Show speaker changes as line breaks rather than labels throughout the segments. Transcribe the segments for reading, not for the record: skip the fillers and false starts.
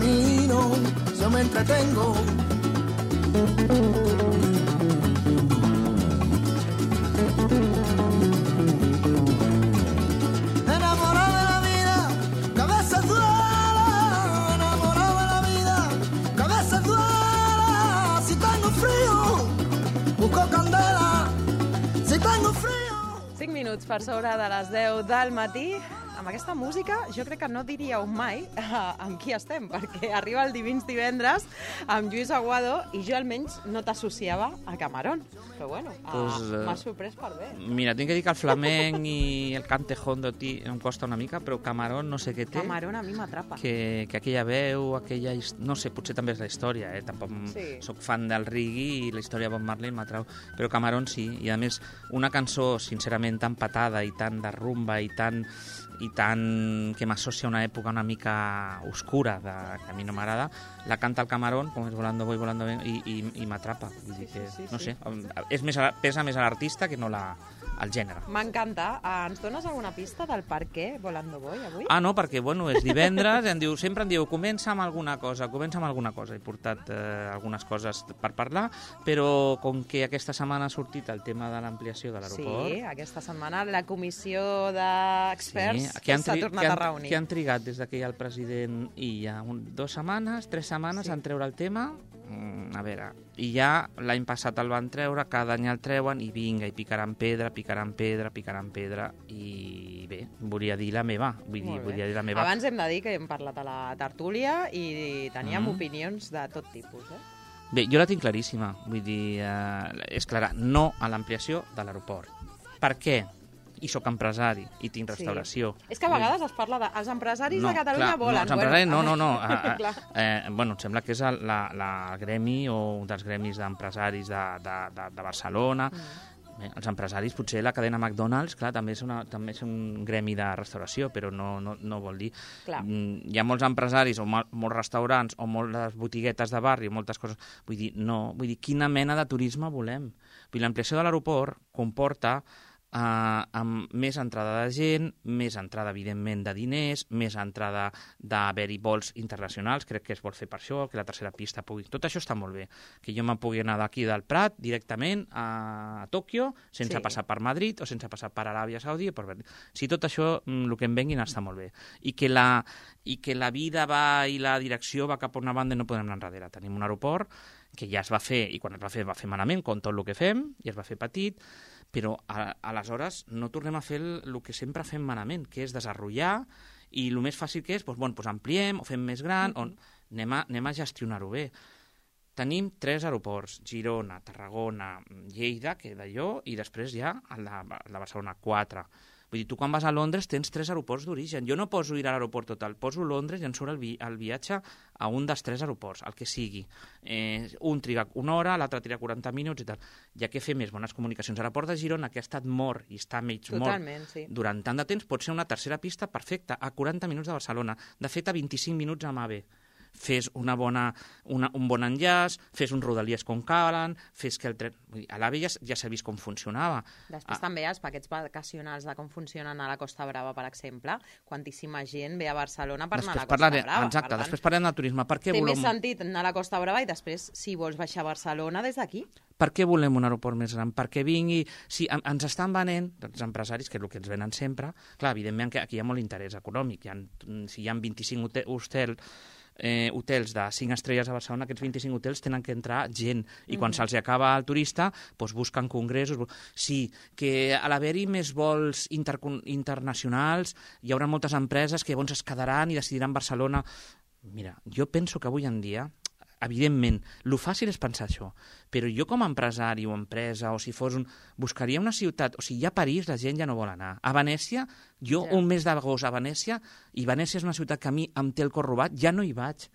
camino, yo me entretengo. Enamorado de la vida, que a veces duele. Enamorado de la vida, que a veces duele. Si tengo frío, busco candela. Si tengo frío.
5 minuts per sobre de les 10 del matí. Amb aquesta música jo crec que no diríeu mai amb qui estem, perquè arriba el Divendres amb Lluís Aguado i jo almenys no t'associava a Camarón. Però bueno, m'ha sorprès per bé.
Mira, tinc que dir que el flamenc i el cante hondo em costa una mica, però Camarón no sé què té.
Camarón a mi m'atrapa.
Que aquella veu, aquella... No sé, potser també és la història, tampoc soc fan del reggae i la història de Bob Marley m'atrau, però Camarón sí, i a més una cançó sincerament tan patada i tan de rumba i tan que m'associa a una època una mica oscura que a mi no m'agrada, la canta el Camarón, com és Volando Voy, Volando Voy, i m'atrapa. No sé, pesa més a l'artista que no al gènere.
M'encanta. Ens dones alguna pista del per què Volando Voy avui?
No, perquè, és divendres, sempre em diu, comença amb alguna cosa. He portat algunes coses per parlar, però com que aquesta setmana ha sortit el tema de l'ampliació de l'aeroport...
Sí, aquesta setmana la comissió d'experts s'ha tornat a reunir.
Que han trigat des que hi ha el president i hi ha 2 setmanes, 3 setmanes en treure el tema. A veure, i ja l'any passat el van treure, cada any el treuen i vinga, i picaran pedra, i bé, volia dir la meva.
Abans hem de dir que hem parlat a la tertúlia i teníem opinions de tot tipus,
Bé, jo la tinc claríssima, vull dir, és clara, no a l'ampliació de l'aeroport. Per què? I sóc empresari, i tinc restauració.
És que a vegades es parla de... Els empresaris de Catalunya volen.
No, els empresaris no. Em sembla que és el gremi o un dels gremis d'empresaris de Barcelona. Bé, els empresaris, potser la cadena McDonald's, clar, també és un gremi de restauració, però no vol dir... Hi ha molts empresaris o molts restaurants o moltes botiguetes de barri, moltes coses... Vull dir, quina mena de turisme volem? Vull dir, l'ampliació de l'aeroport comporta amb més entrada de gent, més entrada, evidentment, de diners, més entrada d'haver-hi vols internacionals, crec que es vol fer per això, que la tercera pista pugui... Tot això està molt bé, que jo me pugui anar d'aquí del Prat directament a Tòquio, sense passar per Madrid o sense passar per Aràbia Saudí. Si tot això, el que em venguin, està molt bé. I que la vida va i la direcció va cap a una banda i no podem anar enrere. Tenim un aeroport que ja es va fer, i quan es va fer malament, com tot el que fem, i es va fer petit, però aleshores no tornem a fer el que sempre fem malament, que és desenrotllar, i el més fàcil que és, ampliem, o fem més gran, anem a gestionar-ho bé. Tenim 3 aeroports, Girona, Tarragona, Lleida, que d'allò, i després ja el de Barcelona, 4. Vull dir, tu quan vas a Londres tens 3 aeroports d'origen. Jo no poso ir a l'aeroport total, poso Londres i em surt el viatge a un dels 3 aeroports, el que sigui. Un triga 1 hora, l'altre triga 40 minuts i tal. Ja que fer més bones comunicacions. L'aeroport de Girona, que ha estat mort i està mig mort durant tant de temps, pot ser una tercera pista perfecta, a 40 minuts de Barcelona. De fet, a 25 minuts amb AVE. Fes un bon enllaç, fes uns rodalies com calen, fes que el tren... A l'AVE ja s'ha vist com funcionava.
Després també els paquets vacacionals de com funcionen a la Costa Brava, per exemple. Quantíssima gent ve a Barcelona per anar a la Costa Brava.
Exacte, després parlem del turisme.
Té més sentit anar a la Costa Brava i després, si vols baixar a Barcelona, des d'aquí.
Per què volem un aeroport més gran? Perquè vingui... Si ens estan venent, els empresaris, que és el que ens venen sempre, clar, evidentment que aquí hi ha molt interès econòmic. Si hi ha 25 hotels de 5 estrelles a Barcelona, aquests 25 hotels tenen que entrar gent, i quan se'ls acaba el turista, busquen congressos. Sí, que a l'haver-hi més vols internacionals hi haurà moltes empreses que llavors es quedaran i decidiran Barcelona. Mira, jo penso que avui en dia, evidentment, el fàcil és pensar això, però jo com a empresari o empresa, o si fos buscaria una ciutat, o sigui, ja a París la gent ja no vol anar. A Venècia, un mes d'agost a Venècia, i Venècia és una ciutat que a mi em té el cor robat, ja no hi vaig.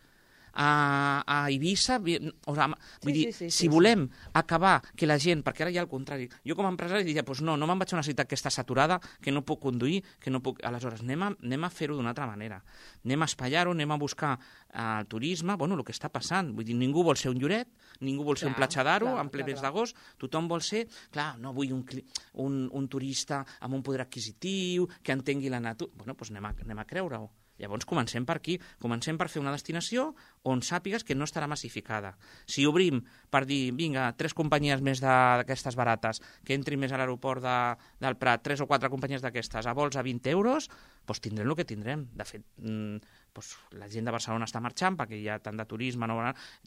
A Eivissa, vull dir, si volem acabar que la gent, perquè ara hi ha el contrari, jo com a empresari diria, no me'n vaig a una ciutat que està saturada, que no puc conduir, que no puc... Aleshores, anem a fer-ho d'una altra manera, anem a espaiar-ho, anem a buscar el turisme, el que està passant, vull dir, ningú vol ser un Lloret, ningú vol ser un Platja d'Aro en ple mes d'agost, tothom vol ser, clar, no vull un turista amb un poder adquisitiu, que entengui la natura, doncs anem a creure-ho. Llavors comencem per aquí, comencem per fer una destinació on sàpigues que no estarà massificada. Si obrim per dir, vinga, 3 companyies més d'aquestes barates, que entrin més a l'aeroport del Prat, 3 o 4 companyies d'aquestes, a vols a 20 euros, doncs tindrem el que tindrem. De fet, doncs la gent de Barcelona està marxant perquè hi ha tant de turisme,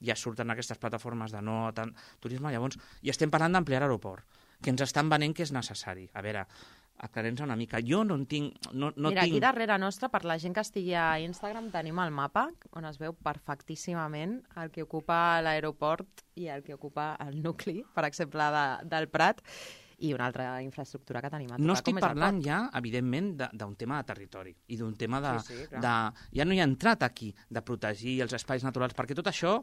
ja surten aquestes plataformes de no tant turisme, llavors i estem parlant d'ampliar l'aeroport, que ens estan venent que és necessari. A veure, aclarem-nos una mica. Jo no en tinc...
Mira, aquí darrere nostra, per la gent que estigui a Instagram, tenim el mapa on es veu perfectíssimament el que ocupa l'aeroport i el que ocupa el nucli, per exemple, del Prat, i una altra infraestructura que tenim a tocar.
No estic parlant ja, evidentment, d'un tema de territori i d'un tema ja no hi ha entrat aquí de protegir els espais naturals, perquè tot això,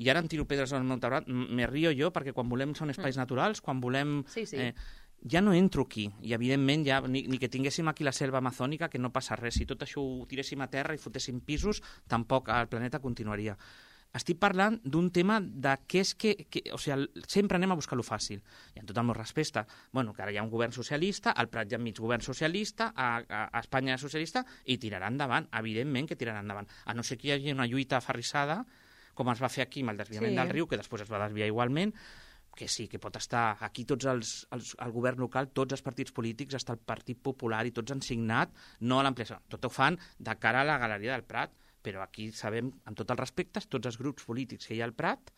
i ara em tiro pedres al meu terrat, me rio jo, perquè quan volem són espais naturals, quan volem... Ja no entro aquí, i evidentment ja, ni que tinguéssim aquí la selva amazònica, que no passa res. Si tot això ho tiréssim a terra i fotéssim pisos, tampoc el planeta continuaria. Estic parlant d'un tema de què és que o sigui, sempre anem a buscar lo fàcil. I amb tot el meu respecte, bueno, que ara hi ha un govern socialista, al Prat hi ha mig govern socialista, a Espanya socialista, i tirarà endavant, evidentment que tirarà endavant. A no ser que hi hagi una lluita aferrissada, com es va fer aquí amb el desviament del riu, que després es va desviar igualment, que sí, que pot estar aquí tots el govern local, tots els partits polítics, està el Partit Popular i tots han signat no a l'ampliació. Tot ho fan de cara a la Galeria del Prat, però aquí sabem, amb tots els respectes, tots els grups polítics que hi ha al Prat,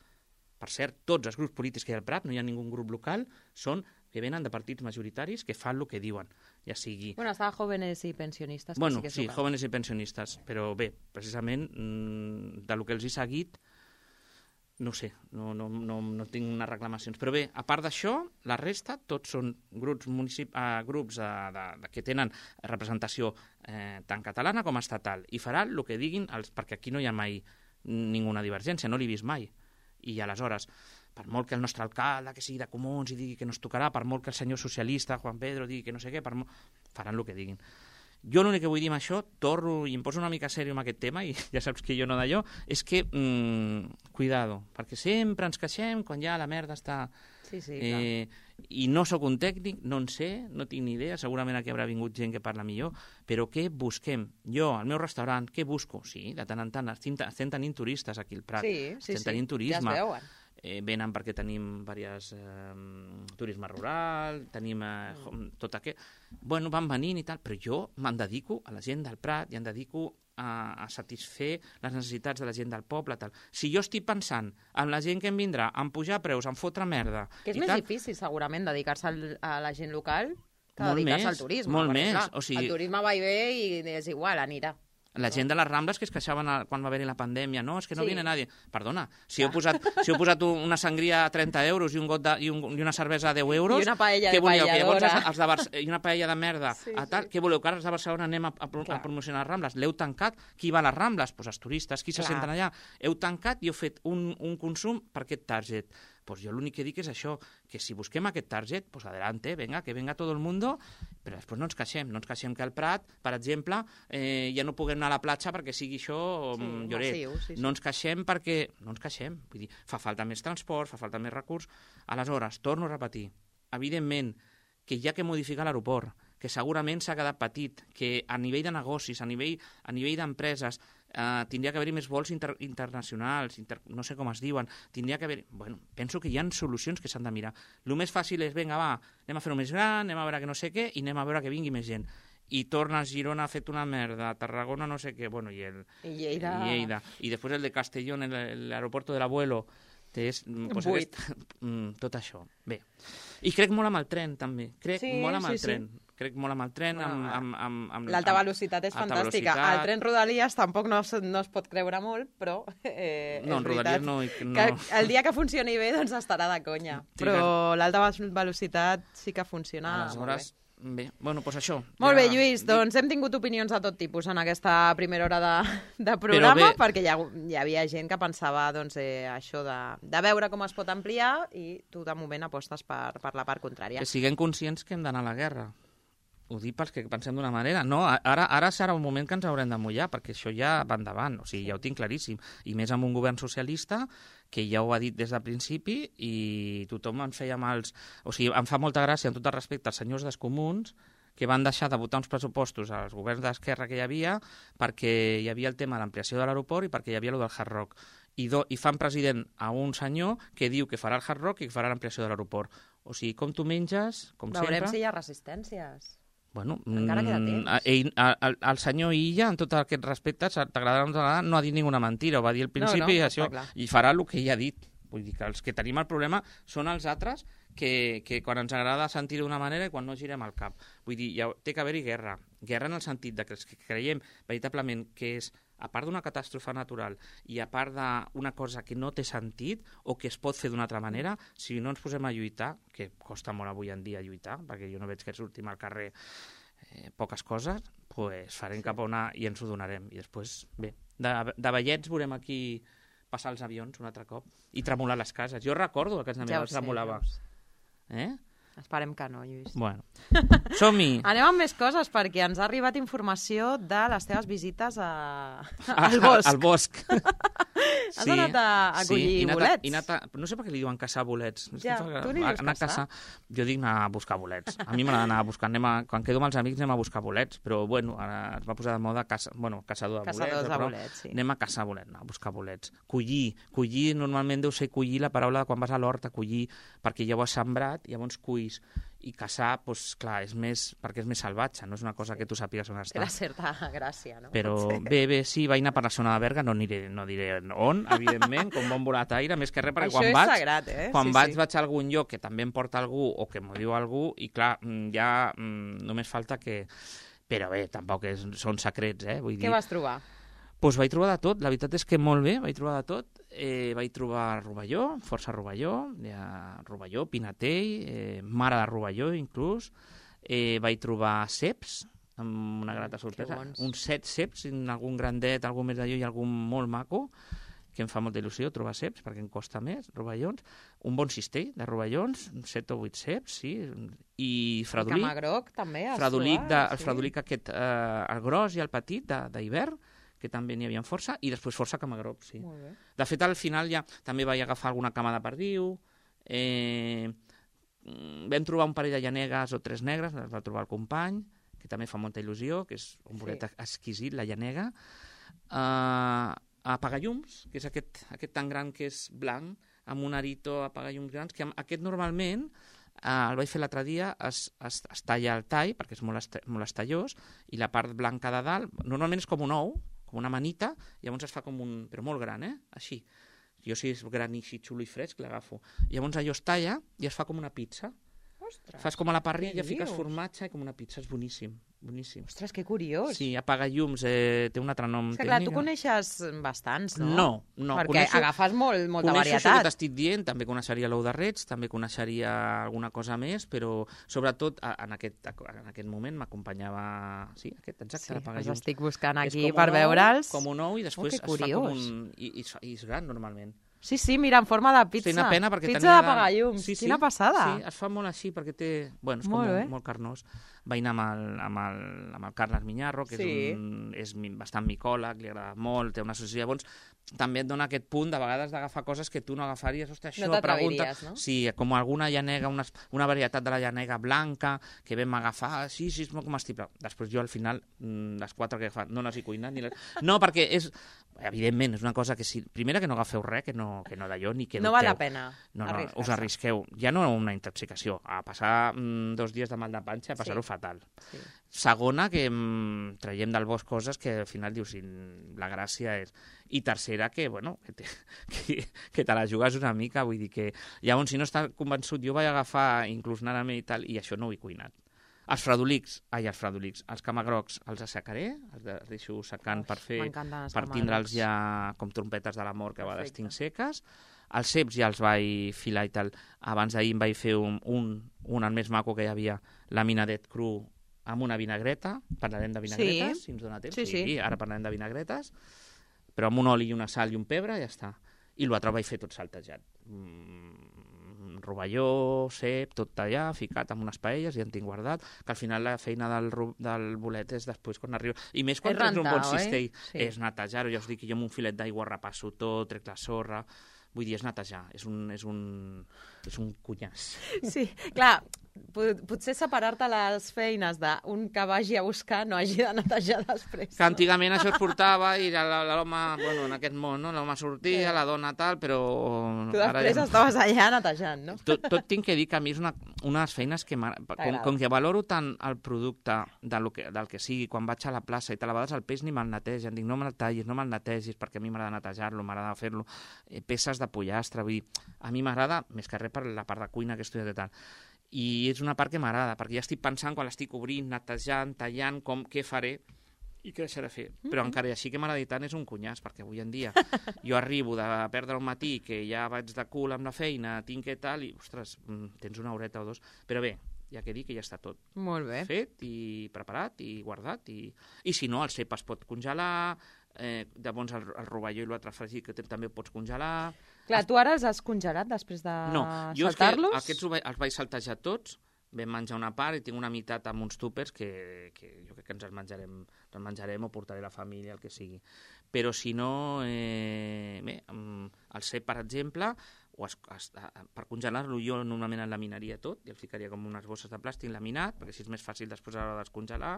per cert, tots els grups polítics que hi ha al Prat, no hi ha ningú grup local, són que venen de partits majoritaris que fan el que diuen, ja sigui...
Bueno, estava Jóvenes i Pensionistes.
Bueno, sí, Jóvenes i Pensionistes, però bé, precisament, de lo que els he seguit, no sé, no tinc unes reclamacions. Però bé, a part d'això, la resta, tots són grups que tenen representació tant catalana com estatal, i faran el que diguin, perquè aquí no hi ha mai ninguna divergència, no l'he vist mai. I aleshores, per molt que el nostre alcalde, que sigui de Comuns, i digui que no es tocarà, per molt que el senyor socialista, Juan Pedro, digui que no sé què, faran el que diguin. Jo l'únic que vull dir amb això, torno i em poso una mica sèrio amb aquest tema, i ja saps que jo no d'allò, és que, cuidado, perquè sempre ens queixem quan ja la merda està...
Sí, clar.
I no sóc un tècnic, no en sé, no tinc ni idea, segurament aquí haurà vingut gent que parla millor, però què busquem? Jo, al meu restaurant, què busco? Sí, de tant en tant, estem tenint turistes aquí al Prat, estem tenint turisme.
Ja es veuen.
Venen perquè tenim diversos turisme rural, tenim tot aquest... Bueno, van venint i tal, però jo me'n dedico a la gent del Prat i em dedico a satisfer les necessitats de la gent del poble. Tal. Si jo estic pensant en la gent que em vindrà, en pujar preus, en fotre merda...
Que és més difícil, segurament, dedicar-se a la gent local que dedicar-se al turisme.
Molt més. O sigui...
El turisme va i ve i és igual, anirà.
La gent de les Rambles que es queixaven quan va haver-hi la pandèmia, no, és que no viene nadie. Perdona, si heu posat una sangria a 30 euros i una cervesa a 10 euros...
I una paella de paelladora.
I una paella de merda. Què voleu, que ara els de Barcelona anem a promocionar les Rambles? L'heu tancat? Qui va a les Rambles? Doncs els turistes. Qui se senten allà? Heu tancat i heu fet un consum per aquest target. Pues jo l'únic que dic és això, que si busquem aquest target, pues adelante, que venga todo el mundo, però després no ens queixem que al Prat, per exemple, ja no puguem anar a la platja perquè sigui això lloret. No ens queixem perquè... No ens queixem, vull dir, fa falta més transport, fa falta més recurs. Aleshores, torno a repetir, evidentment que hi ha que modificar l'aeroport, que segurament s'ha quedat petit, que a nivell de negocis, a nivell d'empreses, tindria que haver-hi més vols internacionals, no sé com es diuen, tindria que haver... Bueno, penso que hi ha solucions que s'han de mirar. El més fàcil és, vinga, va, anem a fer-ho més gran, anem a veure que no sé què, i anem a veure que vingui més gent. I torna a Girona ha fet una merda, Tarragona no sé què, bueno, i Lleida. I després el de Castellón, l'aeropuerto del abuelo, tot això. Bé. I crec molt amb el tren, també. Crec molt amb el tren.
L'alta velocitat és fantàstica. El tren Rodalies tampoc no es pot creure molt, però
en Rodalies no.
Que el dia que funcioni bé doncs estarà de conya. Però l'alta velocitat sí que funciona molt bé.
Bé, bueno, doncs això.
Molt bé, Lluís, doncs hem tingut opinions de tot tipus en aquesta primera hora de programa, perquè hi havia gent que pensava això de veure com es pot ampliar i tu de moment apostes per la part contrària.
Que siguem conscients que hem d'anar a la guerra. Ho dic pels que pensem d'una manera. No, ara serà un moment que ens haurem de mullar, perquè això ja va endavant, o sigui, ja ho tinc claríssim. I més amb un govern socialista que ja ho ha dit des del principi i tothom ens feia mals... O sigui, em fa molta gràcia, amb tot el respecte als senyors dels comuns, que van deixar de votar uns pressupostos als governs d'esquerra que hi havia perquè hi havia el tema de l'ampliació de l'aeroport i perquè hi havia el del Hard Rock. I fan president a un senyor que diu que farà el Hard Rock i que farà l'ampliació de l'aeroport. O sigui, com tu menges, com sempre...
Veurem si hi ha resistències.
Bueno,
encara queda temps.
El senyor Illa, en tot aquest respecte, t'agradarà o no t'agradarà, no ha dit ninguna mentira, ho va dir al principi i això, i farà el que ell ha dit. Vull dir que els que tenim el problema són els altres que quan ens agrada sentir d'una manera i quan no girem el cap. Vull dir, té que haver-hi guerra. Guerra en el sentit de que els que creiem veritablement que és, a part d'una catàstrofe natural i a part d'una cosa que no té sentit o que es pot fer d'una altra manera, si no ens posem a lluitar, que costa molt avui en dia lluitar, perquè jo no veig que sortim al carrer poques coses, pues farem cap a una i ens ho donarem. I després, bé, de vellets veurem aquí passar els avions un altre cop i tremolar les cases. Jo recordo que a casa meva tremolava.
Esperem que no, Lluís.
Bueno, som-hi!
Anem amb més coses, perquè ens ha arribat informació de les teves visites al bosc.
Al bosc.
Has anat a collir bolets?
No sé per què li diuen caçar bolets.
Ja, tu li dius caçar?
Jo dic anar a buscar bolets. A mi m'agrada anar a buscar. Quan quedo amb els amics anem a buscar bolets, però bueno, ara es va posar de moda caçador de bolets.
Caçadors de bolets, sí.
Anem a caçar bolets, a buscar bolets. Collir normalment deu ser collir la paraula de quan vas a l'hort a collir, perquè ja ho has sembrat, llavors culls. I caçar, doncs clar, perquè és més salvatge, no és una cosa que tu sàpigues on està.
Té la certa gràcia, no?
Però bé, sí, vaig anar per la zona de Berga, no diré on, evidentment, com bon volataire, més que res, perquè quan vaig...
Això és sagrat,
Quan vaig a algun lloc que també em porta algú o que m'ho diu algú, i clar, ja només falta que... Però bé, tampoc són secrets, Vull dir...
Què vas trobar?
Doncs vaig trobar de tot, la veritat és que molt bé, vaig trobar de tot. Vaig trobar rovelló, força rovelló, pinatell, mare de rovelló inclús. Vaig trobar ceps, amb una grata sorpresa. Uns 7 ceps, algun grandet, algun més d'allò i algun molt maco, que em fa molta il·lusió trobar ceps, perquè em costa més, rovellons. Un bon cistell de rovellons, 7 o 8 ceps, sí, i fredolic.
I camagroc, també,
el fredolic aquest, el gros i el petit, d'hivern, que també n'hi havia força, i després força camagroc, sí. De fet, al final ja també vaig agafar alguna cama de perdiu, vam trobar un parell de llanegues o 3 negres, les va trobar el company, que també fa molta il·lusió, que és un bolet exquisit, la llanega, apagallums, que és aquest tan gran que és blanc, amb un arito apagallums grans, que aquest normalment, el vaig fer l'altre dia, es talla el tall, perquè és molt estallós, i la part blanca de dalt, normalment és com un ou, com una manita, llavors es fa com un... però molt gran, així. Jo si és gran i així xulo i fresc, l'agafo. Llavors allò es talla i es fa com una pizza.
Ostres,
fas com a la parrilla, fiques formatge i com una pizza, és boníssim. Boníssim.
Ostres, que curiós.
Sí, apaga llums, té un altre nom tècnic.
Clar, tu coneixes bastants, no?
No.
Perquè agafes molta varietat.
Coneixo això que t'estic dient, també coneixeria l'ou de rets, també coneixeria alguna cosa més, però sobretot en aquest moment m'acompanyava... Sí, exacte, l'apaga llums.
Els estic buscant aquí per veure'ls.
Com un ou i després es fa com un... I és gran, normalment.
Sí, mira, en forma de pizza.
Sí, una pena perquè
pizza d'apagallums. Quina passada.
Sí, es fa molt així perquè té... Bueno, és com molt carnós. Vaig anar amb el Carles Miñarro, que és bastant micòleg, li agrada molt, té una associació. Llavors, també et dona aquest punt de vegades d'agafar coses que tu no agafaries. Ostres, això,
no t'atreviries, no?
Sí, com alguna llanega, una varietat de la llanega blanca que vam agafar, sí, és molt comestible. Després jo, al final, les 4 que he agafat, no les he cuinat. No, perquè és... Evidentment, és una cosa que primera que no agafeu res, que no d'allò, ni que dubteu.
No val la pena.
No, us arrisqueu. Ja no una intoxicació, a passar 2 dies de mal de panxa, a passar-ho fatal. Sí. Segona, que traiem del bosc coses que al final dius, la gràcia és... I tercera, que, bueno, que te la jugues una mica, vull dir que... Llavors, si no estàs convençut, jo vaig agafar inclús naname i tal, i això no ho he cuinat. Els els camagrocs els assecaré, els deixo secant per tindre'ls ja com trompetes de la mort que a vegades tinc seques. Els ceps ja els vaig filar i tal. Abans d'ahir em vaig fer un el més maco que hi havia, laminadet cru amb una vinagreta. Parlarem de vinagretes, si ens dona temps. Sí, ara parlarem de vinagretes. Però amb un oli i una sal i un pebre ja està. I l'altre vaig fer tot saltejat. Rovelló, cep, tot allà, ficat amb unes paelles, ja en tinc guardat, que al final la feina del bolet és després quan arriba. I més quan tens un bon cistell, és netejar-ho, ja us dic que jo amb un filet d'aigua repasso tot, trec la sorra, Vull dir, és netejar, és un cunyàs.
Sí, clar, potser separar-te les feines d'un que vagi a buscar no hagi de netejar després.
Que antigament això es portava i l'home, bueno, en aquest món, no? L'home sortia, la dona tal, però...
Tu després estaves allà netejant, no?
Tot tinc que dir que a mi és una de les feines que... Com que valoro tant el producte del que sigui, quan vaig a la plaça i tal, a vegades el peix ni me'l netegen, dic, no me'l tallis, no me'l netegis, perquè a mi m'agrada netejar-lo, m'agrada fer-lo, peces de pollastre, vull dir, a mi m'agrada, més que res per la part de cuina que he estudiat i tal, i és una part que m'agrada, perquè ja estic pensant quan l'estic obrint, netejant, tallant, què faré i què deixaré fer. Però encara així que m'agrada tant és un cunyàs, perquè avui en dia jo arribo de perdre un matí, que ja vaig de cul amb la feina, tinc que tal, i, ostres, tens una horeta o dos. Però bé, ja que dic que ja està tot
molt bé.
Fet i preparat i guardat. I si no, el cep es pot congelar, llavors el rovelló i l'altre fregit que també ho pots congelar.
Clar, tu ara els has congelat després de saltar-los?
No, jo és que aquests els vaig saltejar tots, vam menjar una part i tinc una meitat amb uns túpers que jo crec que ens els menjarem o portaré a la família, el que sigui. Però si no, bé, el cep, per exemple, per congelar-lo jo normalment en laminaria tot, i el ficaria com unes bosses de plàstic laminat, perquè així és més fàcil després a l'hora de descongelar,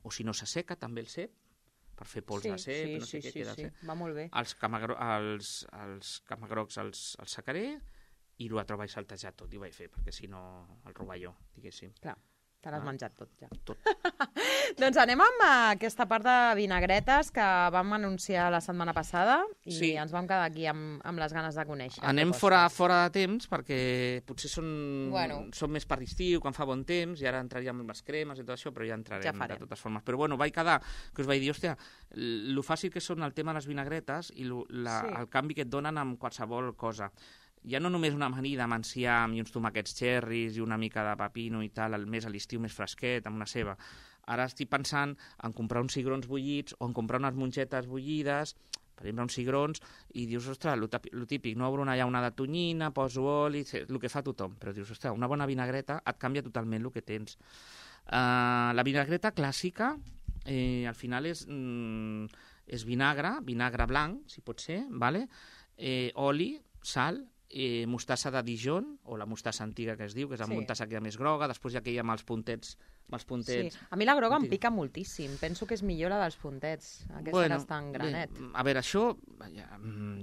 o si no s'asseca també el cep, per fer pols de cep, no sé què queda. Sí,
va molt bé.
Els camagrocs els secaré i l'altre ho vaig saltejar tot i ho vaig fer, perquè si no el rovelló, diguéssim.
Clar, te l'has menjat tot ja.
Tot.
Doncs anem amb aquesta part de vinagretes que vam anunciar la setmana passada i ens vam quedar aquí amb les ganes de conèixer.
Anem fora de temps perquè potser són més per l'estiu, quan fa bon temps, i ara entraríem amb les cremes i tot això, però ja entrarem de totes formes. Però bueno, vaig quedar, que us vaig dir, hòstia, lo fàcil que són el tema de les vinagretes i el canvi que et donen amb qualsevol cosa. Ja no només una amanida amb enciam i uns tomàquets xerris i una mica de pepino i tal, més a l'estiu més fresquet, amb una ceba. Ara estic pensant en comprar uns cigrons bullits o en comprar unes mongetes bullides, per exemple, uns cigrons, i dius, ostres, lo típic, no obro una llauna de tonyina, poso oli, el que fa tothom, però dius, ostres, una bona vinagreta et canvia totalment el que tens. La vinagreta clàssica, al final és vinagre blanc, si pot ser, vale? Oli, sal, mostassa de Dijon, o la mostassa antiga que es diu, que és la mostassa que hi ha més groga, després hi ha aquella amb els puntets. Sí.
A mi la groga em pica moltíssim, penso que és millor la dels puntets, aquesta que està en granet.
A veure, això,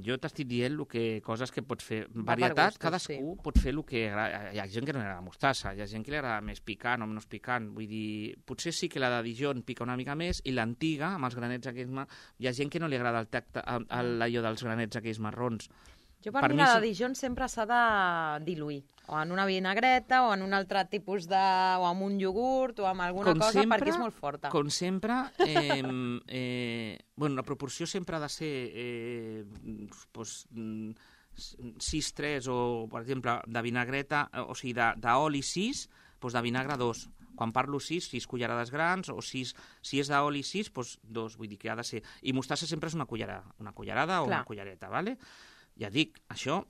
jo t'estic dient coses que pots fer, varietat, cadascú pot fer el que agrada. Hi ha gent que no li agrada mostassa, hi ha gent que li agrada més picant o menys picant, vull dir, potser sí que la de Dijon pica una mica més, i l'antiga, amb els granets aquells, hi ha gent que no li agrada el tacte, allò dels granets aquells marrons.
Jo per mi la de Dijon sempre s'ha de diluir, o en una vinagreta, o en un altre tipus o amb un iogurt, o amb alguna cosa, perquè és molt forta.
Com sempre, la proporció sempre ha de ser 6-3, o, per exemple, de vinagreta, o sigui, d'oli 6, doncs de vinagre 2. Quan parlo 6 cullerades grans, o 6, si és d'oli 6, doncs 2, vull dir que ha de ser. I mostassa sempre és una cullerada o una cullereta, ¿vale? Ja dic, això...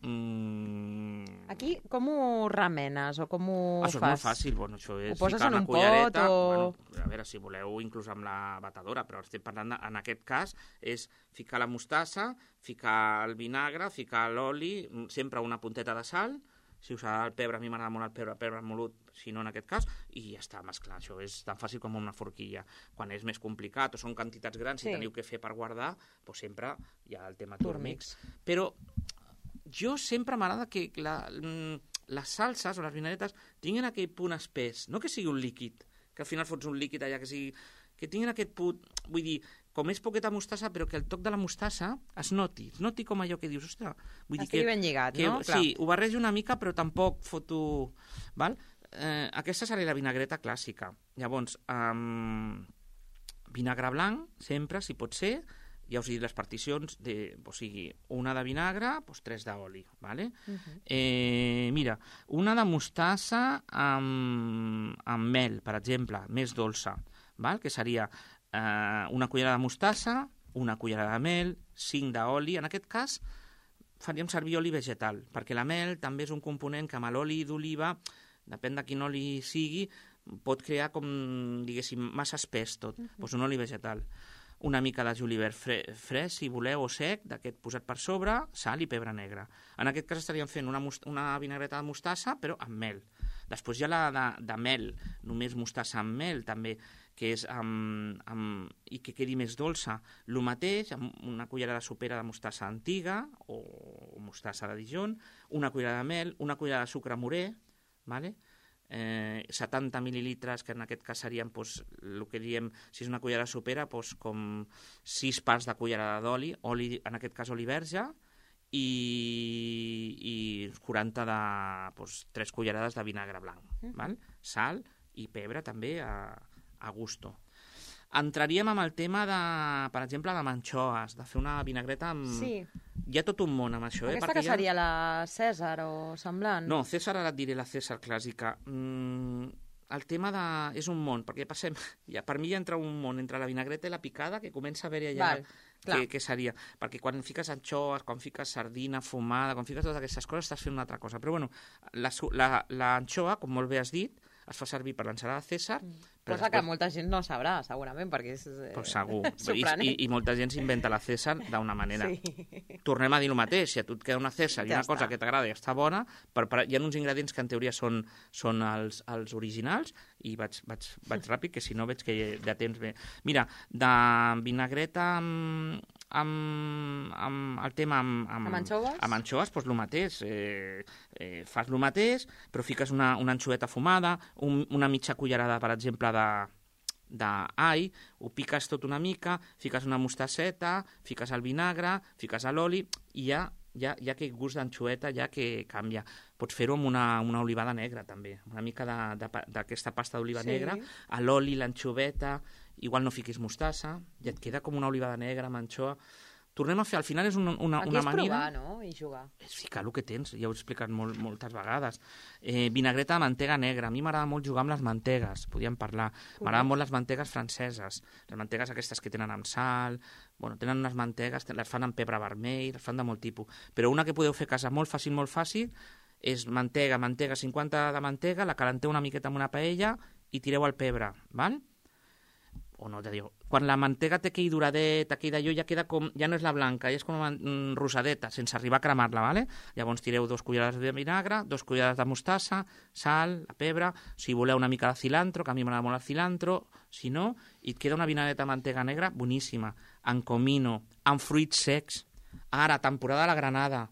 Aquí com ho remenes o com ho fas?
Això és molt fàcil, això és
ficar una cullereta...
A veure, si voleu, inclús amb la batedora, però estem parlant, en aquest cas, és ficar la mostassa, ficar el vinagre, ficar l'oli, sempre una punteta de sal, si us agrada el pebre, a mi m'agrada molt el pebre molut, si no en aquest cas, i ja està, mesclar. Això és tan fàcil com una forquilla. Quan és més complicat o són quantitats grans i teniu que fer per guardar, doncs sempre hi ha el tema turmix. Però jo sempre m'agrada que les salses o les vinagretes tinguin aquell punt espès, no que sigui un líquid, que al final fots un líquid allà, que tinguin aquest punt, vull dir, com és poqueta mostassa, però que el toc de la mostassa es noti com allò que dius, ostres...
Estigui ben lligat, no?
Sí, ho barrejo una mica, però tampoc foto... Val? Aquesta seria la vinagreta clàssica. Llavors, vinagre blanc, sempre, si pot ser, ja us he dit les particions, o sigui, una de vinagre, doncs 3 d'oli, ¿vale? Mira, una de mostassa amb mel, per exemple, més dolça, val? Que seria una cullerada de mostassa, una cullerada de mel, 5 d'oli. En aquest cas, faríem servir oli vegetal, perquè la mel també és un component que amb l'oli d'oliva, depèn de quin oli sigui, pot crear com, diguéssim, massa espès tot. Doncs un oli vegetal. una mica de julivert fresc, si voleu, o sec, d'aquest posat per sobre, sal i pebre negre. En aquest cas estaríem fent una vinagreta de mostassa, però amb mel. Després hi ha la de mel, només mostassa amb mel, també, que és i que quedi més dolça. El mateix, amb una cullerada sopera de mostassa antiga, o mostassa de Dijon, una cullerada de mel, una cullerada de sucre morè, ¿vale? 70 mil·lilitres, que en aquest cas serien el que diem, si és una cullerada sopera, com 6 parts de cullerada d'oli, en aquest cas oli verge, i 40 de 3 cullerades de vinagre blanc, val? Sal i pebre també a gusto. Entraríem amb el tema de, per exemple, de anxoves, de fer una vinagreta amb...
Sí.
Hi ha tot un món amb això.
Aquesta que seria la Cèsar o semblant?
No, Cèsar, ara et diré la Cèsar clàssica. El tema és un món, perquè passem... Per mi ja entra un món entre la vinagreta i la picada, que comença a haver-hi allà què seria. Perquè quan fiques anxoves, quan fiques sardina fumada, quan fiques totes aquestes coses, estàs fent una altra cosa. Però bueno, l'anxova, com molt bé has dit, es fa servir per l'ensalada Cèsar.
Cosa que molta gent no sabrà, segurament, perquè és
segur.
sorprenent.
I molta gent s'inventa la Cèsar d'una manera.
Sí.
Tornem a dir el mateix, si a tu et queda una Cèsar i una cosa que t'agrada i està bona, hi ha uns ingredients que en teoria són els originals, i vaig ràpid, que si no veig que de temps bé. Mira, de vinagreta amb el tema amb
anxoves?
Amb anxoves, doncs el mateix. Fas el mateix, però fiques una anxoveta fumada, una mitja cullerada, per exemple, d'all, ho piques tot una mica, fiques una mostasseta, fiques el vinagre, fiques l'oli, i ja aquell gust d'anxoeta ja que canvia. Pots fer-ho amb una olivada negra, també. Una mica d'aquesta pasta d'oliva negra, a l'oli, l'anxoveta, igual no fiquis mostassa, i et queda com una olivada negra amb anxoa. Tornem a fer, al final és una manera...
Aquí és provar, no?, i jugar.
És ficar el que tens, ja ho he explicat moltes vegades. Vinagreta de mantega negra, a mi m'agrada molt jugar amb les mantegues, podíem parlar. M'agraden molt les mantegues franceses, les mantegues aquestes que tenen amb sal, tenen unes mantegues, les fan amb pebre vermell, les fan de molt tipus. Però una que podeu fer a casa molt fàcil, és mantega, 50 de mantega, la calenteu una miqueta amb una paella i tireu el pebre, val? O no, quan la mantega té aquell duradet, aquell d'allò, ja queda com, ja no és la blanca, ja és com rosadeta, sense arribar a cremar-la, ¿vale? Llavors tireu 2 cullerades de vinagre, 2 cullerades de mostassa, sal, pebre, si voleu una mica de cilantro, que a mi m'agrada molt el cilantro, si no, i et queda una vinagreta de mantega negra boníssima, amb comino, amb fruits secs, ara, temporada de la granada,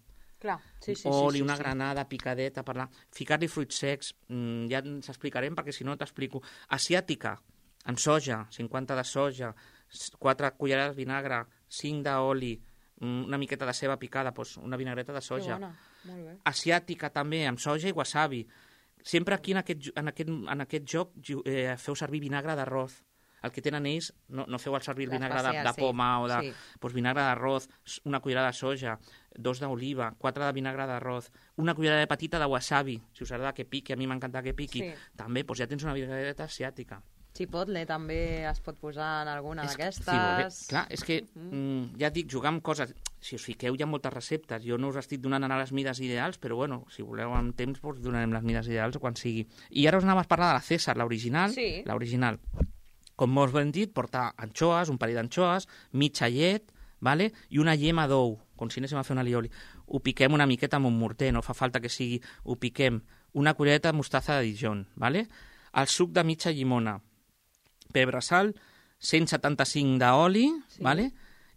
clar,
oli, una granada picadeta, ficar-li fruits secs, ja ens explicarem perquè si no t'explico. Asiàtica, amb soja, 50 de soja, 4 cullerades de vinagre, 5 d'oli, una miqueta de ceba picada, doncs una vinagreta de soja.
Que bona, molt bé.
Asiàtica també, amb soja i wasabi. Sempre aquí en aquest joc feu servir vinagre d'arròs. El que tenen ells, no feu servir el vinagre de poma o de... Doncs vinagre d'arròs, una cullerada de soja, 2 d'oliva, 4 de vinagre d'arròs, una cullerada petita de wasabi, si us agrada que piqui, a mi m'encanta que piqui, també, doncs ja tens una vinagreta asiàtica.
Chipotle també es pot posar en alguna d'aquestes.
Sí, clar, és que ja dic, jugar amb coses... Si us fiqueu, hi ha moltes receptes. Jo no us estic donant ara les mides ideals, però bueno, si voleu amb temps, doncs donarem les mides ideals quan sigui. I ara us anem a parlar de la Cèsar, l'original.
Sí.
L'original. Com molt ben dit, porta anxoes, un parell d'anxoes, mitja llet, ¿vale? I una llema d'ou, com si anéssim a fer un alioli. Ho piquem una miqueta amb un morter, no fa falta que sigui... Ho piquem. Una cullereta de mostassa de Dijon, ¿vale? El suc de mitja llimona, pebre, sal, 175 d'oli, ¿vale?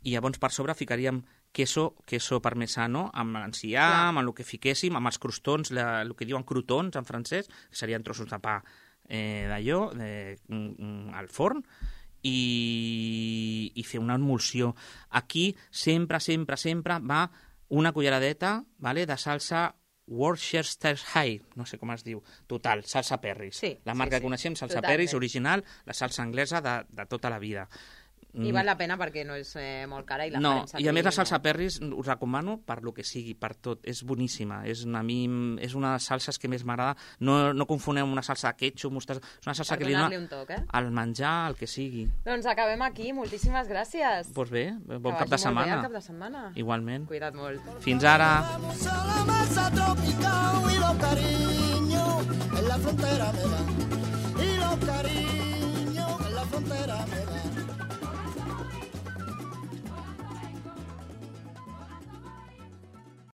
I llavors per sobre ficaríem queso parmesano, amb l'enciam, amb el que fiquéssim, amb els crostons, el que diuen crotons en francès, que serien trossos de pa d'allò, al forn, i fer una emulsió. Aquí sempre va una culleradeta, ¿vale?, de salsa Worcestershire, no sé com es diu, total, salsa Perris.
Sí,
la marca que coneixem, salsa Perris, original, la salsa anglesa de tota la vida.
I val la pena perquè no és molt cara i la
no,
farem servir.
I a més la salsa Perris us recomano per lo que sigui, per tot, és boníssima, és una de les salses que més m'agrada. No confoneu una salsa de ketchup, mostassa, és una salsa que li dona
un toc,
al menjar, el que sigui.
Doncs acabem aquí, moltíssimes gràcies.
Doncs bé, bon cap de setmana.
Bon cap de setmana.
Igualment.
Cuida't molt.
Fins ara.
La masa tropical y los cariños en la frontera me dan.